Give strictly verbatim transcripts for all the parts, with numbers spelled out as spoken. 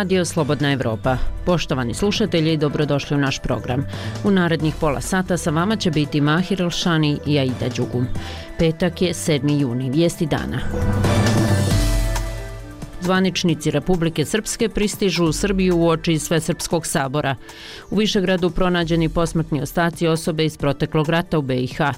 radio Slobodna Evropa. Poštovani slušatelji, dobrodošli u naš program. U narednih pola sata sa vama će biti Mahir Elšani i Aida Đugum. Petak je sedmi juni, vijesti dana. Zvaničnici Republike Srpske pristižu u Srbiju uoči Svesrpskog sabora. U Višegradu pronađeni posmrtni ostaci osobe iz proteklog rata u B i H.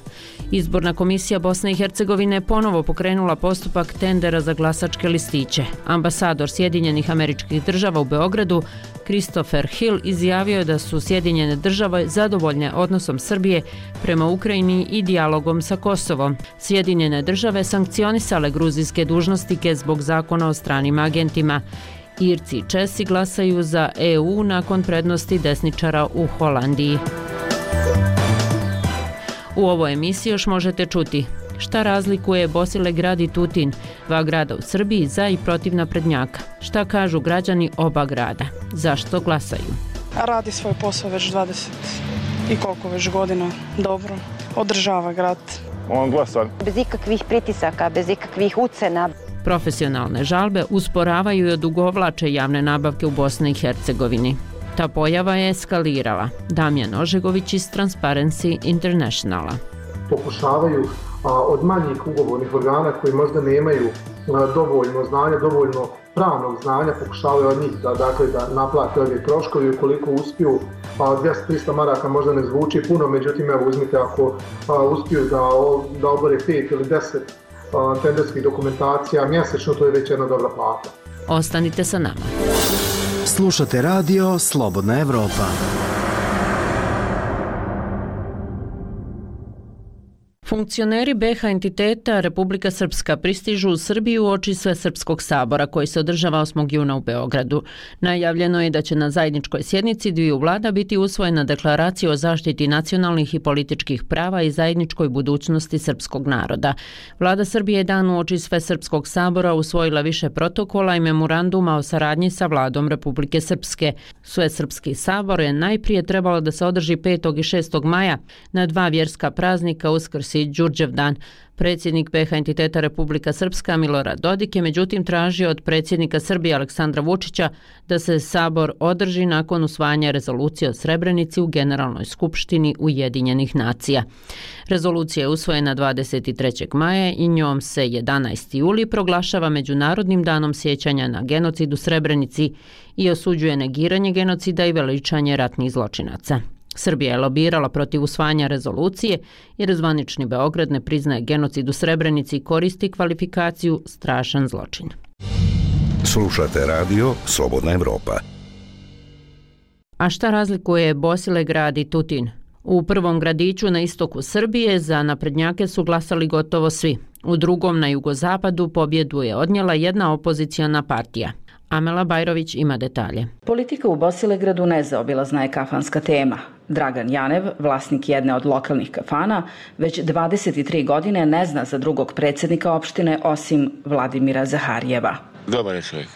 Izborna komisija Bosne i Hercegovine ponovo pokrenula postupak tendera za glasačke listiće. Ambasador Sjedinjenih Američkih Država u Beogradu, Christopher Hill, izjavio je da su Sjedinjene Države zadovoljne odnosom Srbije prema Ukrajini i dijalogom sa Kosovom. Sjedinjene Države sankcionisale gruzijske dužnosnike zbog zakona o stranim agentima. Irci i Česi glasaju za E U nakon prednosti desničara u Holandiji. U ovoj emisiji još možete čuti šta razlikuje Bosilegrad i Tutin, dva grada u Srbiji za i protiv naprednjaka. Šta kažu građani oba grada? Zašto glasaju? Radi svoj posao već dvadeset i koliko već godina dobro. Održava grad. On glasa. Bez ikakvih pritisaka, bez ikakvih ucena. Profesionalne žalbe usporavaju i odugovlače javne nabavke u Bosni i Hercegovini. Ta pojava je eskalirala. Damjan Ožegović iz Transparency Internationala. Pokušavaju a, od manjih ugovornih organa koji možda nemaju a, dovoljno znanja, dovoljno pravnog znanja, pokušavaju od njih da, dakle, da naplate ove troškovi. Ukoliko uspiju, a, dvjesto do trista maraka možda ne zvuči puno, međutim, evo, uzmite ako a, uspiju da, da obore pet ili deset a, tenderskih dokumentacija mjesečno, to je već jedna dobra plata. Ostanite sa nama. Slušate radio Slobodna Evropa. Funkcioneri B H entiteta Republika Srpska pristižu u Srbiju uoči Svesrpskog sabora koji se održava osmog juna u Beogradu. Najavljeno je da će na zajedničkoj sjednici dviju vlada biti usvojena deklaracija o zaštiti nacionalnih i političkih prava i zajedničkoj budućnosti srpskog naroda. Vlada Srbije je dan uoči Svesrpskog sabora usvojila više protokola i memoranduma o saradnji sa vladom Republike Srpske. Svesrpski sabor je najprije trebalo da se održi petog i šestog maja na dva vjerska praznika, Uskrs i Đurđevdan. Predsjednik B H entiteta Republika Srpska Milorad Dodik je međutim tražio od predsjednika Srbije Aleksandra Vučića da se sabor održi nakon usvajanja rezolucije o Srebrenici u Generalnoj skupštini Ujedinjenih nacija. Rezolucija je usvojena dvadeset trećeg maja i njom se jedanaesti juli proglašava Međunarodnim danom sjećanja na genocid u Srebrenici i osuđuje negiranje genocida i veličanje ratnih zločinaca. Srbija je lobirala protiv usvajanja rezolucije jer zvanični Beograd ne priznaje genocid u Srebrenici i koristi kvalifikaciju strašan zločin. Slušate radio Slobodna Evropa. A šta razlikuje Bosilegrad i Tutin? U prvom gradiću na istoku Srbije za naprednjake su glasali gotovo svi. U drugom na jugozapadu pobjedu je odnijela jedna opoziciona partija. Amela Bajrović ima detalje. Politika u Bosilegradu nezaobilazna je kafanska tema. Dragan Janev, vlasnik jedne od lokalnih kafana, već dvadeset tri godine ne zna za drugog predsjednika opštine osim Vladimira Zaharijeva. Dobar je čovjek.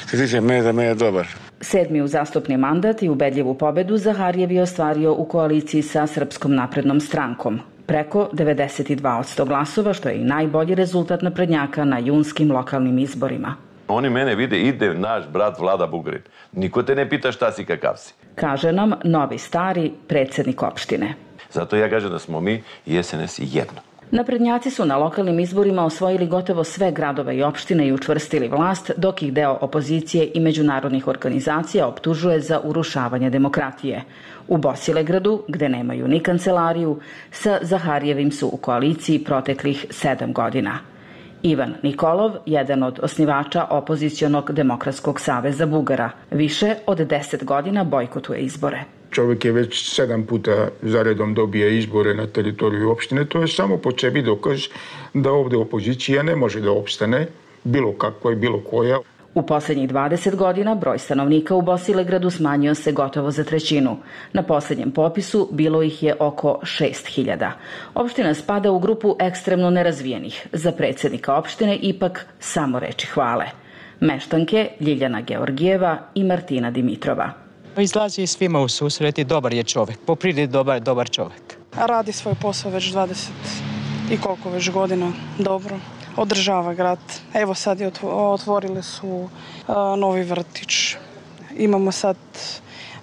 Što tiče mene, da me je dobar. Sedmi uzastopni mandat i ubedljivu pobedu Zaharijev je ostvario u koaliciji sa Srpskom naprednom strankom. Preko devedeset dva posto glasova, što je i najbolji rezultat naprednjaka na junskim lokalnim izborima. Oni mene vide, ide naš brat Vlada Bugarin. Niko te ne pita šta si, kakav si. Kaže nam novi stari predsjednik opštine. Zato ja kažem da smo mi i S N S jedno. Naprednjaci su na lokalnim izborima osvojili gotovo sve gradove i opštine i učvrstili vlast, dok ih deo opozicije i međunarodnih organizacija optužuje za urušavanje demokratije. U Bosilegradu, gde nemaju ni kancelariju, sa Zaharijevim su u koaliciji proteklih sedam godina. Ivan Nikolov, jedan od osnivača opozicionog Demokratskog saveza Bugara, više od deset godina bojkotuje izbore. Čovjek je već sedam puta zaredom dobije izbore na teritoriju opštine, to je samo po sebi dokaz da ovdje opozicija ne može da opstane, bilo kakva i bilo koja. U posljednjih dvadeset godina broj stanovnika u Bosilegradu smanjio se gotovo za trećinu. Na posljednjem popisu bilo ih je oko šest hiljada. Opština spada u grupu ekstremno nerazvijenih. Za predsjednika opštine ipak samo reči hvale. Meštanke Ljiljana Georgijeva i Martina Dimitrova. Izlazi svima u susret i dobar je čovjek. Po prirodi dobar, dobar čovjek. Radi svoj posao već dvadeset i koliko već godina dobro. Održava grad. Evo sad je otvorili su uh, novi vrtić. imamo sad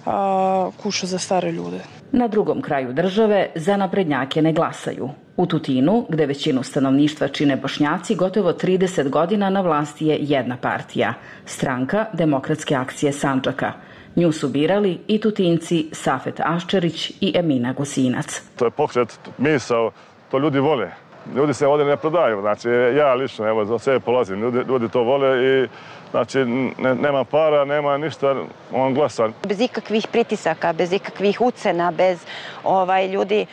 a, kuću za stare ljude. Na drugom kraju države za naprednjake ne glasaju. U Tutinu, gde većinu stanovništva čine Bošnjaci, gotovo trideset godina na vlasti je jedna partija, Stranka demokratske akcije Sandžaka. Nju su birali i Tutinci Safet Aščerić i Emina Gusinac. To je pokret, misao, to ljudi vole. Ljudi se ovdje ne prodaju. Znači, ja lično, evo, za sebe polazim. Ljudi, ljudi to vole i znači, ne, nema para, nema ništa, on glasa. Bez ikakvih pritisaka, bez ikakvih ucena, bez ovaj, ljudi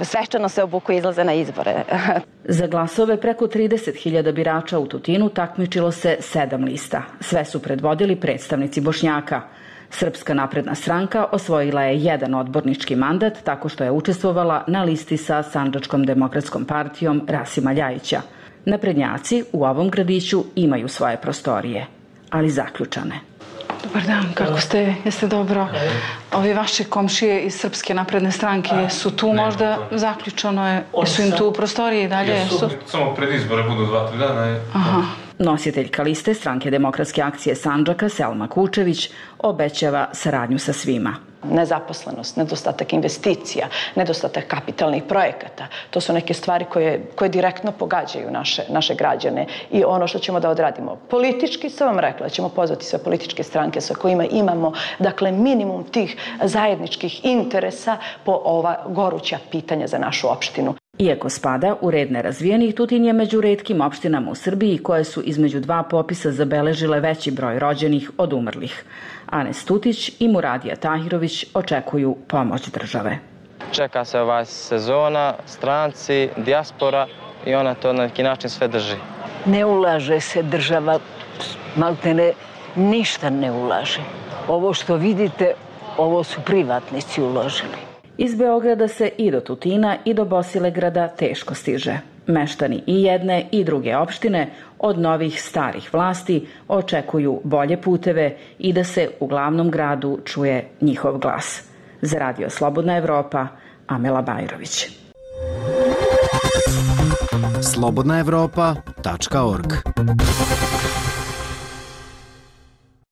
svečano se obuku i izlaze na izbore. Za glasove preko trideset hiljada birača u Tutinu takmičilo se sedam lista. Sve su predvodili predstavnici Bošnjaka. Srpska napredna stranka osvojila je jedan odbornički mandat tako što je učestvovala na listi sa Sandžačkom demokratskom partijom Rasima Ljajića. Naprednjaci u ovom gradiću imaju svoje prostorije, ali zaključane. Dobar dan, kako ste? Jeste dobro? Ovi vaši komšije iz Srpske napredne stranke su tu možda zaključano je? Su im tu u prostoriji dalje? Samo pred izbore budu dva, tri dana. Aha. Nositeljka liste Stranke demokratske akcije Sandžaka Selma Kučević obećava saradnju sa svima. Nezaposlenost, nedostatak investicija, nedostatak kapitalnih projekata. To su neke stvari koje, koje direktno pogađaju naše, naše građane i ono što ćemo da odradimo. Politički sam vam rekla, ćemo pozvati sve političke stranke sa kojima imamo dakle, minimum tih zajedničkih interesa po ova goruća pitanja za našu opštinu. Iako spada u red nerazvijenih, Tutin je među retkim opštinama u Srbiji koje su između dva popisa zabeležile veći broj rođenih od umrlih. Anes Tutić i Muradija Tahirović očekuju pomoć države. Čeka se ova sezona, stranci, dijaspora i ona to na neki način sve drži. Ne ulaže se država, maltene ništa ne ulaže. Ovo što vidite, ovo su privatnici uložili. Iz Beograda se i do Tutina i do Bosilegrada teško stiže. Meštani i jedne i druge opštine od novih starih vlasti očekuju bolje puteve i da se u glavnom gradu čuje njihov glas. Za Radio Slobodna Evropa, Amela Bajrović. slobodna evropa tačka org.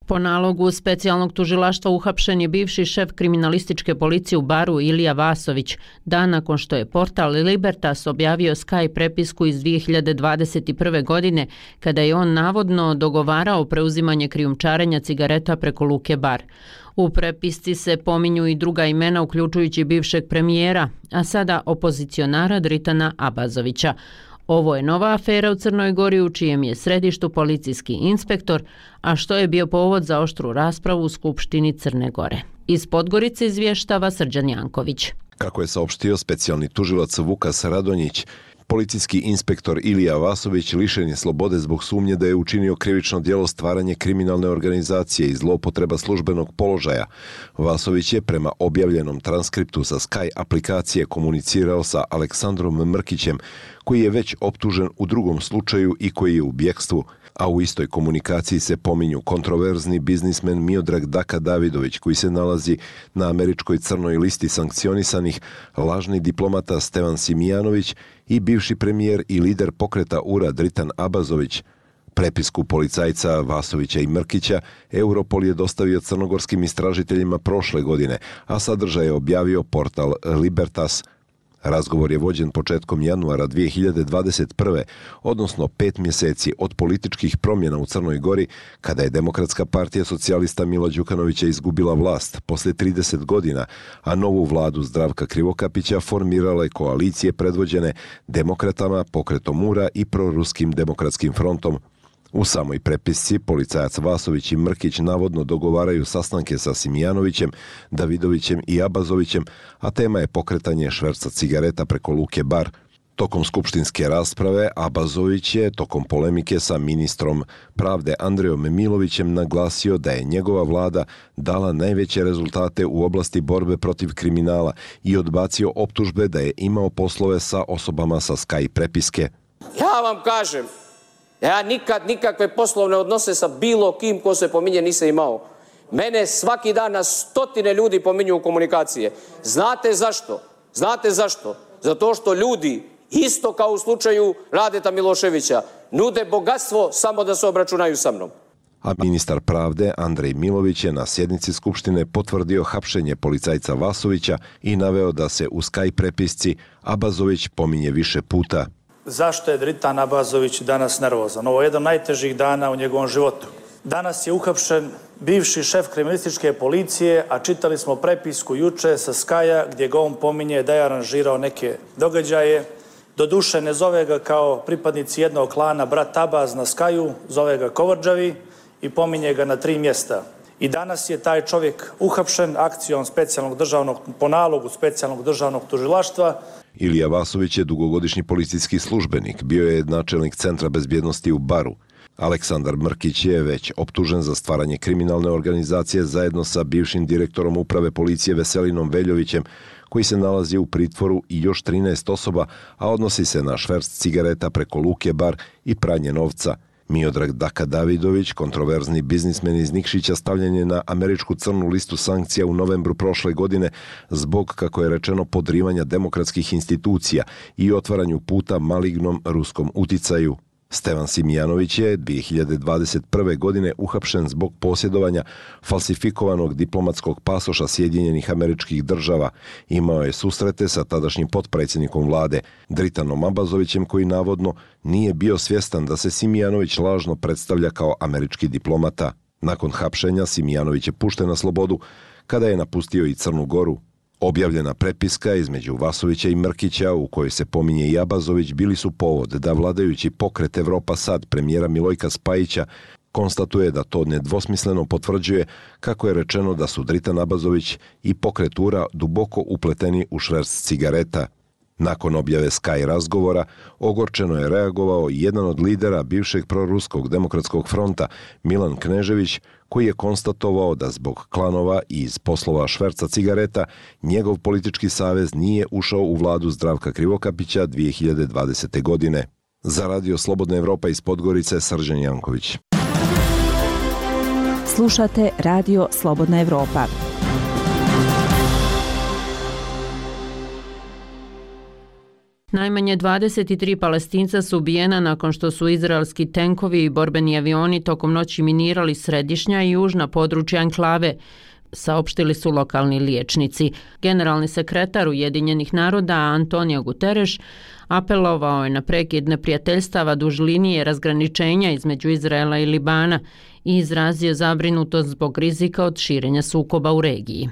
Po nalogu specijalnog tužilaštva uhapšen je bivši šef kriminalističke policije u Baru Ilija Vasović, dan nakon što je portal Libertas objavio Sky prepisku iz dvije hiljade dvadeset prve. godine, kada je on navodno dogovarao preuzimanje krijumčarenja cigareta preko luke Bar. U prepisci se pominju i druga imena, uključujući bivšeg premijera, a sada opozicionara Dritana Abazovića. Ovo je nova afera u Crnoj Gori u čijem je središtu policijski inspektor, a što je bio povod za oštru raspravu u Skupštini Crne Gore. Iz Podgorice izvještava Srđan Janković. Kako je saopštio specijalni tužilac Vukas Radonjić, policijski inspektor Ilija Vasović lišen je slobode zbog sumnje da je učinio krivično djelo stvaranje kriminalne organizacije i zloupotreba službenog položaja. Vasović je prema objavljenom transkriptu sa Sky aplikacije komunicirao sa Aleksandrom Mrkićem, koji je već optužen u drugom slučaju i koji je u bjekstvu, a u istoj komunikaciji se pominju kontroverzni biznismen Miodrag Daka Davidović, koji se nalazi na američkoj crnoj listi sankcionisanih, lažni diplomata Stevan Simijanović i bivši premijer i lider pokreta U R A Dritan Abazović. Prepisku policajca Vasovića i Mrkića Europol je dostavio crnogorskim istražiteljima prošle godine, a sadržaj je objavio portal Libertas. Razgovor je vođen početkom januara dvije hiljade dvadeset prve. odnosno pet mjeseci od političkih promjena u Crnoj Gori, kada je Demokratska partija socijalista Mila Đukanovića izgubila vlast poslije trideset godina, a novu vladu Zdravka Krivokapića formirale koalicije predvođene demokratama, pokretom U R A i proruskim demokratskim frontom. U samoj prepisci policajac Vasović i Mrkić navodno dogovaraju sastanke sa Simijanovićem, Davidovićem i Abazovićem, a tema je pokretanje šverca cigareta preko luke Bar. Tokom skupštinske rasprave Abazović je tokom polemike sa ministrom pravde Andrejom Milovićem naglasio da je njegova vlada dala najveće rezultate u oblasti borbe protiv kriminala i odbacio optužbe da je imao poslove sa osobama sa Sky prepiske. Ja vam kažem, ja nikad nikakve poslovne odnose sa bilo kim ko se pominje nisam imao. Mene svaki dan na stotine ljudi pominju u komunikacije. Znate zašto? Znate zašto? Zato što ljudi, isto kao u slučaju Radeta Miloševića, nude bogatstvo samo da se obračunaju sa mnom. A ministar pravde Andrej Milović je na sjednici Skupštine potvrdio hapšenje policajca Vasovića i naveo da se u Skype prepisci Abazović pominje više puta. Zašto je Dritan Abazović danas nervozan? Ovo je jedan od najtežih dana u njegovom životu. Danas je uhapšen bivši šef kriminalističke policije, a čitali smo prepisku juče sa Skaja gdje ga on pominje da je aranžirao neke događaje. Doduše ne zove ga kao pripadnici jednog klana brat Abaz na Skaju, zove ga Kovrđavi i pominje ga na tri mjesta. I danas je taj čovjek uhapšen akcijom specijalnog državnog, po nalogu specijalnog državnog tužilaštva. Ilija Vasović je dugogodišnji policijski službenik, bio je načelnik Centra bezbjednosti u Baru. Aleksandar Mrkić je već optužen za stvaranje kriminalne organizacije zajedno sa bivšim direktorom uprave policije Veselinom Veljovićem, koji se nalazi u pritvoru, i još trinaest osoba, a odnosi se na šverc cigareta preko Luke Bar i pranje novca. Miodrag Daka Davidović, kontroverzni biznismen iz Nikšića, stavljen je na američku crnu listu sankcija u novembru prošle godine zbog, kako je rečeno, podrivanja demokratskih institucija i otvaranju puta malignom ruskom uticaju. Stevan Simijanović je dvije hiljade dvadeset prve. godine uhapšen zbog posjedovanja falsifikovanog diplomatskog pasoša Sjedinjenih Američkih Država. Imao je susrete sa tadašnjim potpredsjednikom vlade Dritanom Abazovićem, koji navodno nije bio svjestan da se Simijanović lažno predstavlja kao američki diplomata. Nakon hapšenja Simijanović je pušten na slobodu kada je napustio i Crnu Goru. Objavljena prepiska između Vasovića i Mrkića, u kojoj se pominje i Abazović, bili su povod da vladajući pokret Evropa Sad premijera Milojka Spajića konstatuje da to nedvosmisleno potvrđuje, kako je rečeno, da su Dritan Abazović i pokret URA duboko upleteni u šverc cigareta. Nakon objave Sky razgovora, ogorčeno je reagovao jedan od lidera bivšeg proruskog demokratskog fronta, Milan Knežević, koji je konstatovao da zbog klanova i iz poslova šverca cigareta njegov politički savez nije ušao u vladu Zdravka Krivokapića dvije hiljade dvadesete. godine. Za Radio Slobodna Evropa iz Podgorice, Srđan Janković. Slušate Radio Slobodna Evropa. Najmanje dvadeset tri Palestinca su ubijena nakon što su izraelski tenkovi i borbeni avioni tokom noći minirali središnja i južna područja enklave, saopštili su lokalni liječnici. Generalni sekretar Ujedinjenih naroda Antonio Guterres apelovao je na prekid neprijateljstava duž linije razgraničenja između Izraela i Libana i izrazio zabrinutost zbog rizika od širenja sukoba u regiji.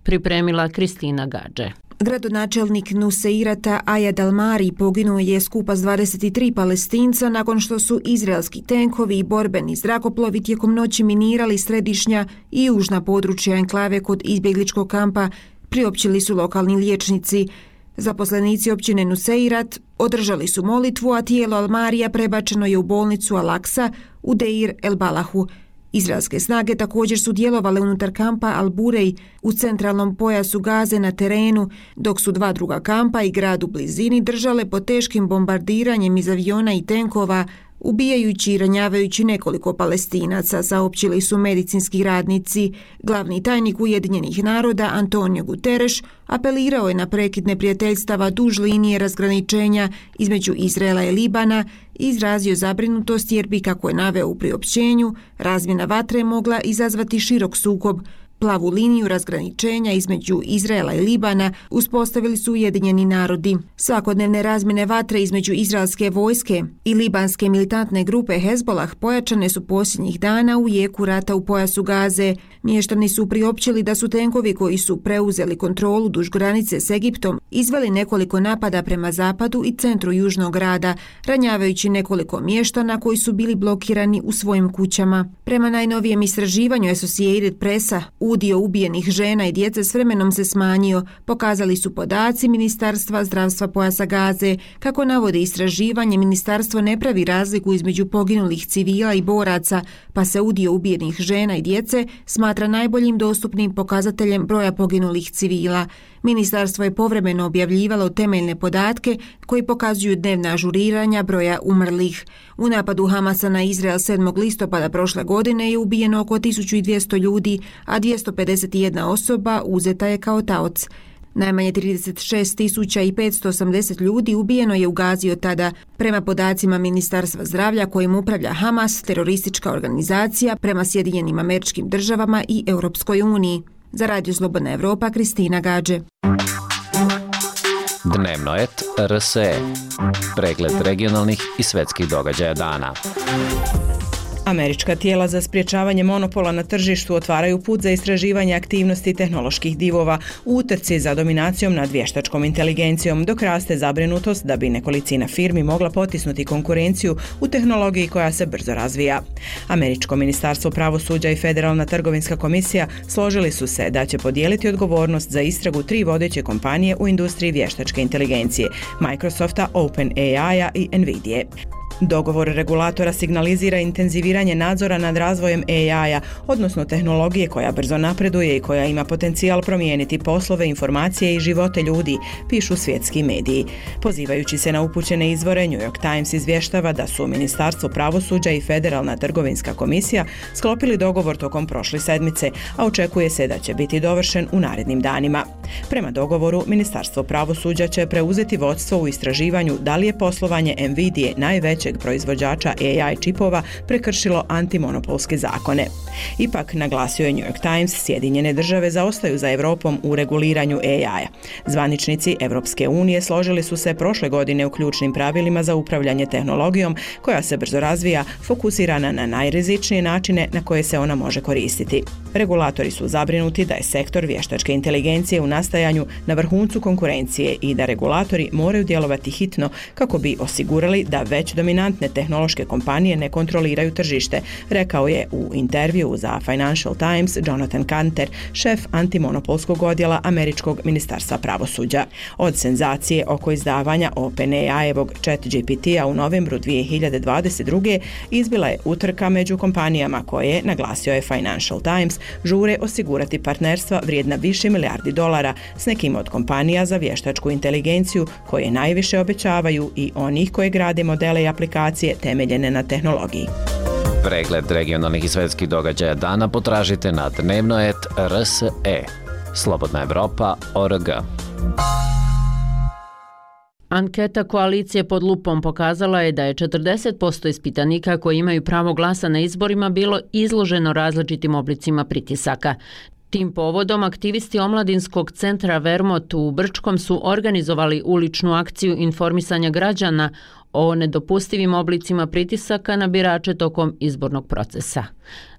Pripremila Kristina Gadže. Gradonačelnik Nuseirata Ayad al-Mari poginuo je skupa s dvadeset tri Palestinca nakon što su izraelski tenkovi i borbeni zrakoplovi tijekom noći minirali središnja i južna područja enklave kod izbjegličkog kampa, priopćili su lokalni liječnici. Zaposlenici općine Nuseirat održali su molitvu, a tijelo al-Marija prebačeno je u bolnicu Al-Aqsa u Deir el-Balahu. Izraelske snage također su djelovale unutar kampa Al-Burej u centralnom pojasu Gaze na terenu, dok su dva druga kampa i grad u blizini držale pod teškim bombardiranjem iz aviona i tenkova, ubijajući i ranjavajući nekoliko Palestinaca, saopćili su medicinski radnici. Glavni tajnik Ujedinjenih naroda Antonio Guterres apelirao je na prekid neprijateljstava duž linije razgraničenja između Izraela i Libana i izrazio zabrinutost jer bi, kako je naveo u priopćenju, razmjena vatre mogla izazvati širok sukob. Plavu liniju razgraničenja između Izraela i Libana uspostavili su Ujedinjeni narodi. Svakodnevne razmjene vatre između izraelske vojske i libanske militantne grupe Hezbolah pojačane su posljednjih dana u jeku rata u pojasu Gaze. Mještani su priopćili da su tenkovi koji su preuzeli kontrolu duž granice s Egiptom izveli nekoliko napada prema zapadu i centru južnog grada, ranjavajući nekoliko mještana koji su bili blokirani u svojim kućama. Prema najnovijem istraživanju Associated Pressa, udio ubijenih žena i djece s vremenom se smanjio, pokazali su podaci Ministarstva zdravstva pojasa Gaze. Kako navode istraživanje, ministarstvo ne pravi razliku između poginulih civila i boraca, pa se udio ubijenih žena i djece smatra najboljim dostupnim pokazateljem broja poginulih civila. Ministarstvo je povremeno objavljivalo temeljne podatke koji pokazuju dnevna ažuriranja broja umrlih. U napadu Hamasa na Izrael sedmog listopada prošle godine je ubijeno oko tisuću dvjesto ljudi, a dvjesto pedeset jedna osoba uzeta je kao taoc. Najmanje trideset šest tisuća petsto osamdeset ljudi ubijeno je u Gazi od tada, prema podacima Ministarstva zdravlja kojim upravlja Hamas, teroristička organizacija, prema Sjedinjenim Američkim Državama i Europskoj uniji. Za Radio Slobodna Evropa, Kristina Gađe. Dnevno et R S E. Pregled regionalnih i svetskih događaja dana. Američka tijela za sprječavanje monopola na tržištu otvaraju put za istraživanje aktivnosti tehnoloških divova u utrci za dominacijom nad vještačkom inteligencijom, dok raste zabrinutost da bi nekolicina firmi mogla potisnuti konkurenciju u tehnologiji koja se brzo razvija. Američko ministarstvo pravosuđa i Federalna trgovinska komisija složili su se da će podijeliti odgovornost za istragu tri vodeće kompanije u industriji vještačke inteligencije, Microsofta, OpenAI-a i Nvidije. Dogovor regulatora signalizira intenziviranje nadzora nad razvojem A I-a, odnosno tehnologije koja brzo napreduje i koja ima potencijal promijeniti poslove, informacije i živote ljudi, pišu svjetski mediji. Pozivajući se na upućene izvore, New York Times izvještava da su Ministarstvo pravosuđa i Federalna trgovinska komisija sklopili dogovor tokom prošle sedmice, a očekuje se da će biti dovršen u narednim danima. Prema dogovoru, Ministarstvo pravosuđa će preuzeti vodstvo u istraživanju da li je poslovanje Nvidije, najvećeg proizvođača A I čipova, prekršilo antimonopolske zakone. Ipak, naglasio je New York Times, Sjedinjene države zaostaju za Europom u reguliranju A I-a. Zvaničnici Europske unije složili su se prošle godine u ključnim pravilima za upravljanje tehnologijom koja se brzo razvija, fokusirana na najrizičnije načine na koje se ona može koristiti. Regulatori su zabrinuti da je sektor vještačke inteligencije u nastajanju na vrhuncu konkurencije i da regulatori moraju djelovati hitno kako bi osigurali da već dominantne tehnološke kompanije ne kontroliraju tržište, rekao je u intervju za Financial Times Jonathan Kanter, šef antimonopolskog odjela Američkog ministarstva pravosuđa. Od senzacije oko izdavanja OpenAI-evog ChatGPT-a u novembru dvije hiljade dvadeset druge izbila je utrka među kompanijama koje, naglasio je Financial Times, žure osigurati partnerstva vrijedna više milijardi dolara s nekim od kompanija za vještačku inteligenciju koje najviše obećavaju i onih koje grade modele i aplikacije temeljene na tehnologiji. Pregled regionalnih i svetskih događaja dana potražite na dnevno et R S E. Slobodna Evropa org. Anketa koalicije pod lupom pokazala je da je četrdeset posto ispitanika koji imaju pravo glasa na izborima bilo izloženo različitim oblicima pritisaka. Tim povodom aktivisti omladinskog centra Vermont u Brčkom su organizovali uličnu akciju informisanja građana o nedopustivim oblicima pritisaka na birače tokom izbornog procesa.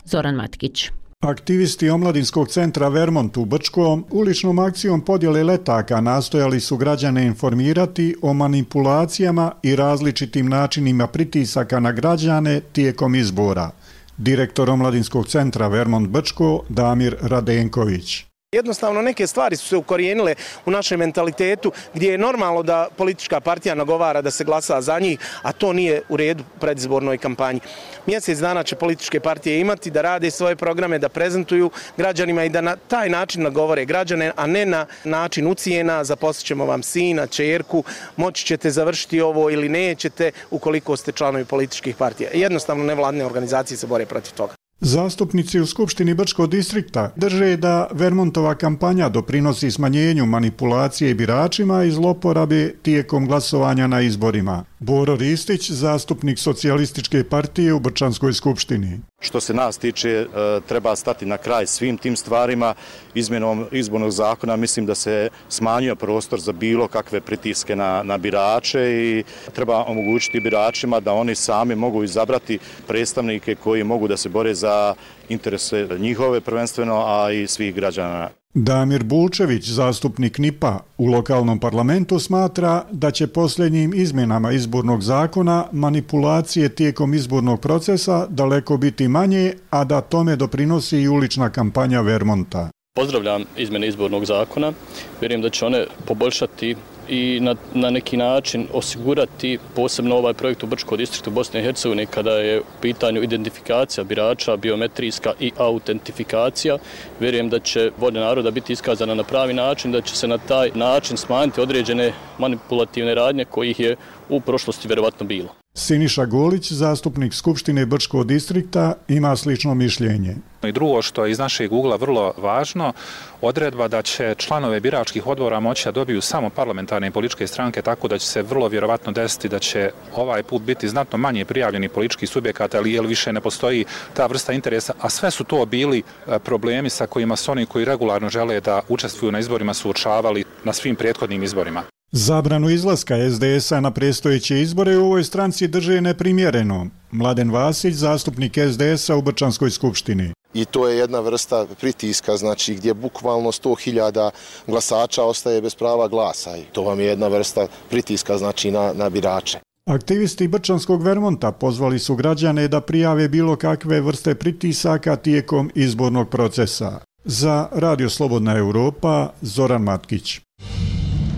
Zoran Matkić. Aktivisti omladinskog centra Vermont u Brčkom uličnom akcijom podjele letaka nastojali su građane informirati o manipulacijama i različitim načinima pritisaka na građane tijekom izbora. Direktor omladinskog centra Vermont Brčko Damir Radenković. Jednostavno neke stvari su se ukorijenile u našem mentalitetu gdje je normalno da politička partija nagovara da se glasa za njih, a to nije u redu u predizbornoj kampanji. Mjesec dana će političke partije imati da rade svoje programe, da prezentuju građanima i da na taj način nagovore građane, a ne na način ucijena, zaposlit ćemo vam sina, ćerku, moći ćete završiti ovo ili nećete ukoliko ste članovi političkih partija. Jednostavno nevladine organizacije se bore protiv toga. Zastupnici u Skupštini Brčkog distrikta drže da Vermontova kampanja doprinosi smanjenju manipulacije biračima i zloporabe tijekom glasovanja na izborima. Boro Ristić, zastupnik Socijalističke partije u Brčanskoj skupštini. Što se nas tiče, treba stati na kraj svim tim stvarima. Izmjenom izbornog zakona mislim da se smanjio prostor za bilo kakve pritiske na, na birače i treba omogućiti biračima da oni sami mogu izabrati predstavnike koji mogu da se bore za interese njihove prvenstveno, a i svih građana. Damir Bulčević, zastupnik N I P-a u lokalnom parlamentu, smatra da će posljednjim izmjenama izbornog zakona manipulacije tijekom izbornog procesa daleko biti manje, a da tome doprinosi i ulična kampanja Vermonta. Pozdravljam izmjene izbornog zakona, vjerujem da će one poboljšati i na, na neki način osigurati posebno ovaj projekt u Brčkom distriktu Bosne i Hercegovine kada je u pitanju identifikacija birača, biometrijska i autentifikacija. Vjerujem da će volja naroda biti iskazana na pravi način, da će se na taj način smanjiti određene manipulativne radnje kojih je u prošlosti vjerovatno bilo. Siniša Golić, zastupnik Skupštine Brčkog distrikta, ima slično mišljenje. I drugo što je iz našeg ugla vrlo važno, odredba da će članove biračkih odbora moći da dobiju samo parlamentarne političke stranke, tako da će se vrlo vjerovatno desiti da će ovaj put biti znatno manje prijavljeni političkih subjekata, ali jer više ne postoji ta vrsta interesa, a sve su to bili problemi sa kojima su oni koji regularno žele da učestvuju na izborima suočavali na svim prethodnim izborima. Zabranu izlaska es de es a na predstojeće izbore u ovoj stranci drže neprimjereno. Mladen Vasić, zastupnik es de es a u Brčanskoj skupštini. I to je jedna vrsta pritiska, znači gdje bukvalno sto hiljada glasača ostaje bez prava glasa. I to vam je jedna vrsta pritiska, znači na, na birače. Aktivisti Brčanskog Vermonta pozvali su građane da prijave bilo kakve vrste pritisaka tijekom izbornog procesa. Za Radio Slobodna Evropa, Zoran Matkić.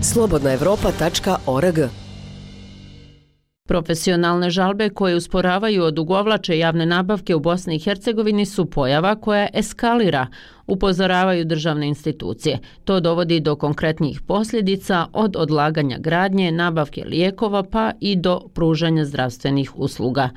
slobodna evropa tačka org. Profesionalne žalbe koje usporavaju odugovlače javne nabavke u Bosni i Hercegovini su pojava koja eskalira, upozoravaju državne institucije. To dovodi do konkretnih posljedica od odlaganja gradnje, nabavke lijekova pa i do pružanja zdravstvenih usluga.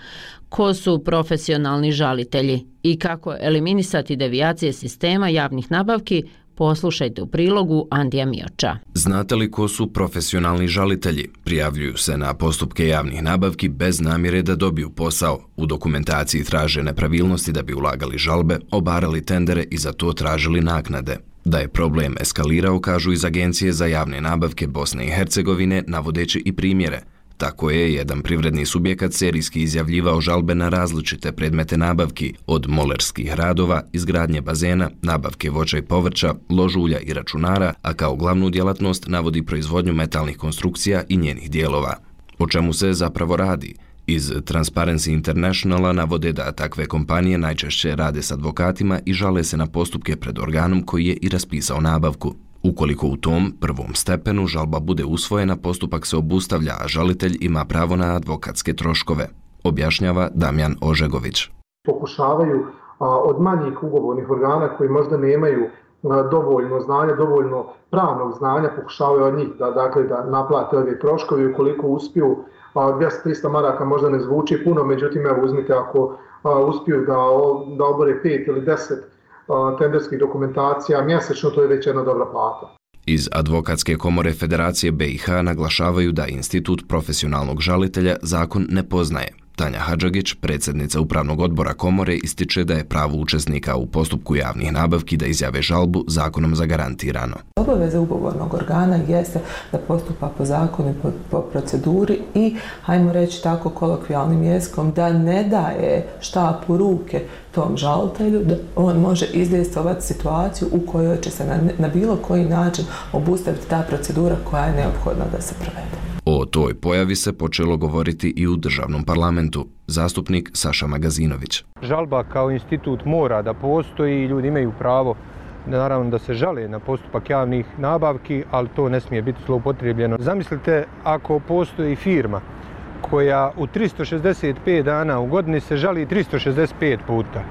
Ko su profesionalni žalitelji i kako eliminisati devijacije sistema javnih nabavki? Poslušajte u prilogu Andija Mioča. Znate li ko su profesionalni žalitelji? Prijavljuju se na postupke javnih nabavki bez namjere da dobiju posao. U dokumentaciji traže nepravilnosti da bi ulagali žalbe, obarali tendere i za to tražili naknade. Da je problem eskalirao, kažu iz Agencije za javne nabavke Bosne i Hercegovine, navodeći i primjere. Tako je jedan privredni subjekat serijski izjavljivao žalbe na različite predmete nabavki, od molerskih radova, izgradnje bazena, nabavke voća i povrća, ložulja i računara, a kao glavnu djelatnost navodi proizvodnju metalnih konstrukcija i njenih dijelova. O čemu se zapravo radi? Iz Transparency Internationala navode da takve kompanije najčešće rade s advokatima i žale se na postupke pred organom koji je i raspisao nabavku. Ukoliko u tom prvom stepenu žalba bude usvojena, postupak se obustavlja, a žalitelj ima pravo na advokatske troškove, objašnjava Damjan Ožegović. Pokušavaju a, od manjih ugovornih organa koji možda nemaju a, dovoljno znanja, dovoljno pravnog znanja, pokušavaju od njih da, dakle, da naplate ove troškove. Ukoliko uspiju, a, dvjesto do trista maraka možda ne zvuči puno, međutim, evo uzmite ako a, uspiju da, da obore pet ili deset tenderskih dokumentacija mjesečno, to je već jedna dobra plata. Iz Advokatske komore Federacije be i ha naglašavaju da institut profesionalnog žalitelja zakon ne poznaje. Tanja Hadžagić, predsjednica upravnog odbora komore, ističe da je pravo učesnika u postupku javnih nabavki da izjave žalbu zakonom zagarantirano. Obaveza ugovornog organa jeste da postupa po zakonu i po, po proceduri i, hajmo reći tako kolokvijalnim jezikom, da ne daje štapu ruke tom žalitelju, da on može izdejstvovati situaciju u kojoj će se na, na bilo koji način obustaviti ta procedura koja je neophodna da se provede. O toj pojavi se počelo govoriti i u državnom parlamentu. Zastupnik Saša Magazinović. Žalba kao institut mora da postoji i ljudi imaju pravo naravno da se žale na postupak javnih nabavki, ali to ne smije biti zloupotrijebljeno. Zamislite ako postoji firma koja u tristo šezdeset pet dana u godini se žali tristo šezdeset pet puta.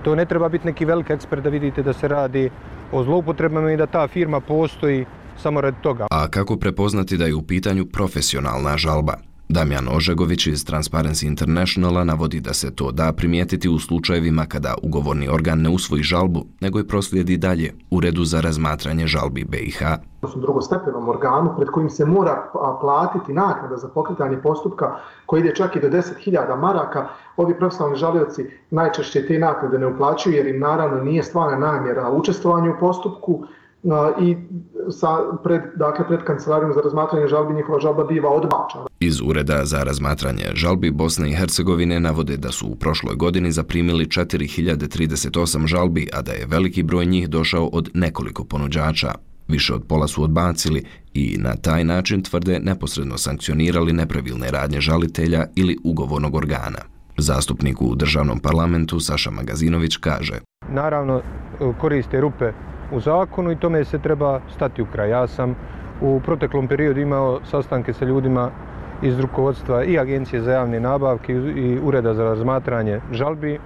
To ne treba biti neki veliki ekspert da vidite da se radi o zloupotrebama i da ta firma postoji samo radi toga. A kako prepoznati da je u pitanju profesionalna žalba? Damjan Ožegović iz Transparency Internationala navodi da se to da primijetiti u slučajevima kada ugovorni organ ne usvoji žalbu, nego je proslijedi dalje Uredu za razmatranje žalbi be i ha. U drugostepenom organu pred kojim se mora platiti naknada za pokretanje postupka koji ide čak i do deset hiljada maraka, ovi profesionalni žalioci najčešće te naknade ne uplaćuju jer im naravno nije stvarna namjera učestvovanja u postupku i sa pred, dakle, pred kancelarijom za razmatranje žalbi njihova žalba biva odbačena. Iz Ureda za razmatranje žalbi Bosne i Hercegovine navode da su u prošloj godini zaprimili četiri hiljade trideset osam žalbi, a da je veliki broj njih došao od nekoliko ponuđača. Više od pola su odbacili i na taj način tvrde neposredno sankcionirali nepravilne radnje žalitelja ili ugovornog organa. Zastupnik u državnom parlamentu Saša Magazinović kaže: Naravno koriste rupe u zakonu i tome se treba stati u kraj. Ja sam u proteklom periodu imao sastanke sa ljudima iz rukovodstva i Agencije za javne nabavke i Ureda za razmatranje žalbi.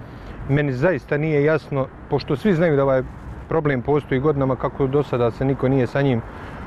Meni zaista nije jasno, pošto svi znaju da ovaj problem postoji godinama, kako do sada se niko nije sa njim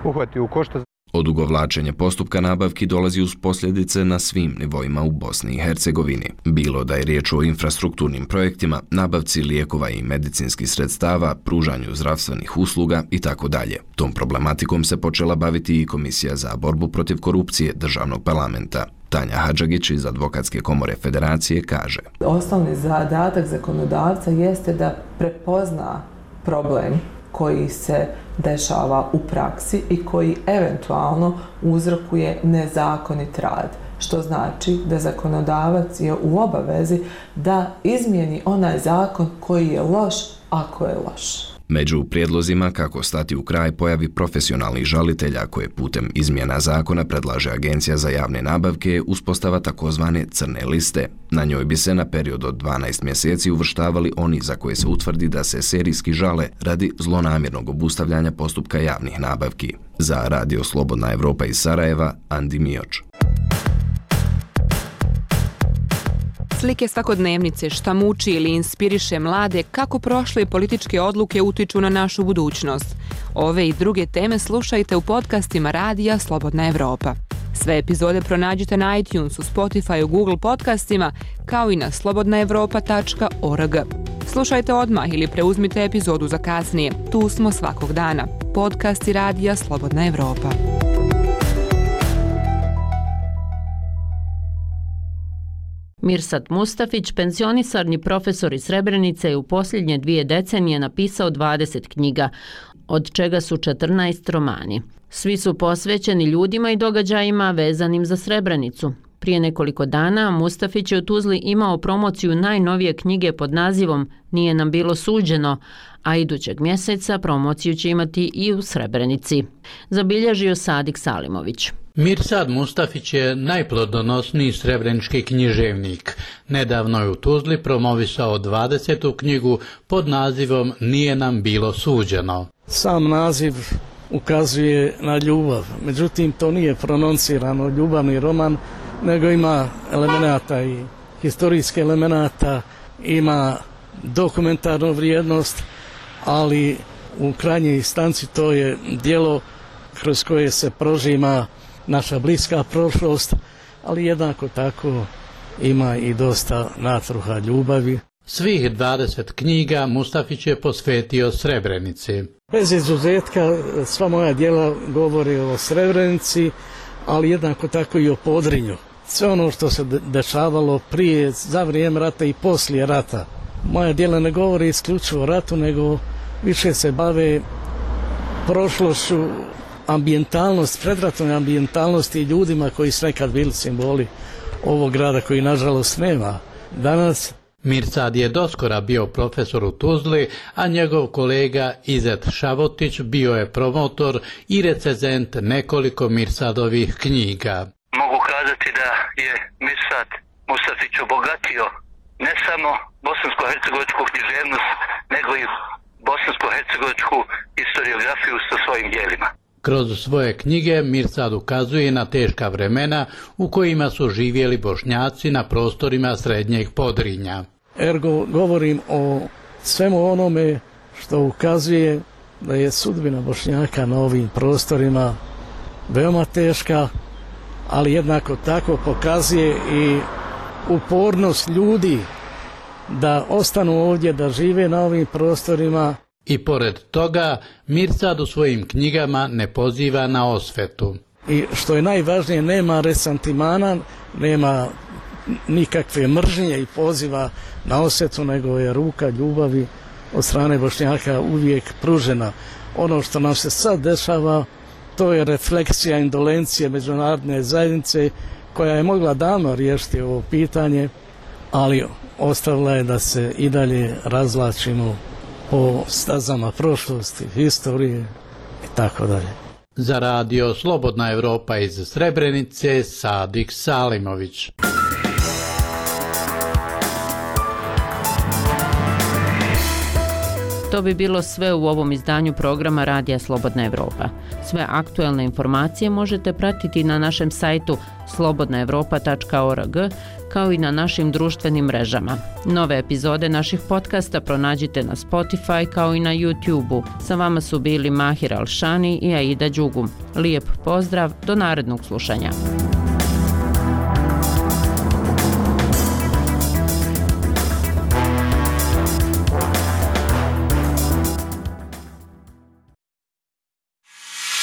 uhvatio u koštac. Odugovlačenje postupka nabavki dolazi uz posljedice na svim nivoima u Bosni i Hercegovini. Bilo da je riječ o infrastrukturnim projektima, nabavci lijekova i medicinskih sredstava, pružanju zdravstvenih usluga i tako dalje. Tom problematikom se počela baviti i Komisija za borbu protiv korupcije Državnog parlamenta. Tanja Hadžagić iz Advokatske komore Federacije kaže: Osnovni zadatak zakonodavca jeste da prepozna problem koji se dešava u praksi i koji eventualno uzrokuje nezakonit rad. Što znači da zakonodavac je u obavezi da izmijeni onaj zakon koji je loš ako je loš. Među prijedlozima kako stati u kraj pojavi profesionalnih žalitelja koje putem izmjena zakona predlaže Agencija za javne nabavke uspostava takozvane crne liste. Na njoj bi se na period od dvanaest mjeseci uvrštavali oni za koje se utvrdi da se serijski žale radi zlonamjernog obustavljanja postupka javnih nabavki. Za Radio Slobodna Evropa iz Sarajeva, Andi Mioč. Slike svakodnevnice, šta muči ili inspiriše mlade, kako prošle političke odluke utiču na našu budućnost. Ove i druge teme slušajte u podcastima Radija Slobodna Evropa. Sve epizode pronađite na iTunesu, Spotify, Google podcastima, kao i na slobodna evropa tačka org. Slušajte odmah ili preuzmite epizodu za kasnije. Tu smo svakog dana. Podcasti Radija Slobodna Evropa. Mirsad Mustafić, penzionisarni profesor iz Srebrenice, je u posljednje dvije decenije napisao dvadeset knjiga, od čega su četrnaest romani. Svi su posvećeni ljudima i događajima vezanim za Srebrenicu. Prije nekoliko dana Mustafić je u Tuzli imao promociju najnovije knjige pod nazivom Nije nam bilo suđeno, a idućeg mjeseca promociju će imati i u Srebrenici. Zabilježio Sadik Salimović. Mirsad Mustafić je najplodonosniji srebrenički književnik. Nedavno je u Tuzli promovisao dvadesetu knjigu pod nazivom Nije nam bilo suđeno. Sam naziv ukazuje na ljubav, međutim to nije prononcirano ljubavni roman, nego ima elemenata i historijske elemenata, ima dokumentarnu vrijednost, ali u krajnjoj instanci to je djelo kroz koje se prožima naša bliska prošlost, ali jednako tako ima i dosta natruha ljubavi. Svih dvadeset knjiga Mustafić je posvetio Srebrenici. Bez izuzetka sva moja djela govori o Srebrenici, ali jednako tako i o Podrinju. Sve ono što se dešavalo prije, za vrijeme rata i poslije rata. Moja djela ne govori isključivo o ratu, nego više se bave prošlošću, ambijentalnost, predratnoj ambijentalnosti i ljudima koji su nekad bili simboli ovog grada koji nažalost nema danas. Mirsad je doskora bio profesor u Tuzli, a njegov kolega Izet Šavotić bio je promotor i recenzent nekoliko Mirsadovih knjiga. Mogu kazati da je Mirsad Mustafić obogatio ne samo bosansko-hercegovačku književnost, nego i bosansko-hercegovačku historiografiju sa svojim djelima. Kroz svoje knjige Mirsad ukazuje na teška vremena u kojima su živjeli Bošnjaci na prostorima Srednjeg Podrinja. Ergo govorim o svemu onome što ukazuje da je sudbina Bošnjaka na ovim prostorima veoma teška, ali jednako tako pokazuje i upornost ljudi da ostanu ovdje, da žive na ovim prostorima. I pored toga, Mirsad u svojim knjigama ne poziva na osvetu. I što je najvažnije, nema resantimana, nema nikakve mržnje i poziva na osvetu, nego je ruka ljubavi od strane Bošnjaka uvijek pružena. Ono što nam se sad dešava, to je refleksija indolencije međunarodne zajednice koja je mogla davno riješiti ovo pitanje, ali ostavila je da se i dalje razvlačimo po stazama prošlosti, historije i tako dalje. Za Radio Slobodna Evropa iz Srebrenice, Sadik Salimović. To bi bilo sve u ovom izdanju programa Radija Slobodna Evropa. Sve aktuelne informacije možete pratiti na našem sajtu slobodna evropa tačka org kao i na našim društvenim mrežama. Nove epizode naših podcasta pronađite na Spotify kao i na YouTube-u. Sa vama su bili Mahir Alšani i Aida Đugum. Lijep pozdrav, do narednog slušanja.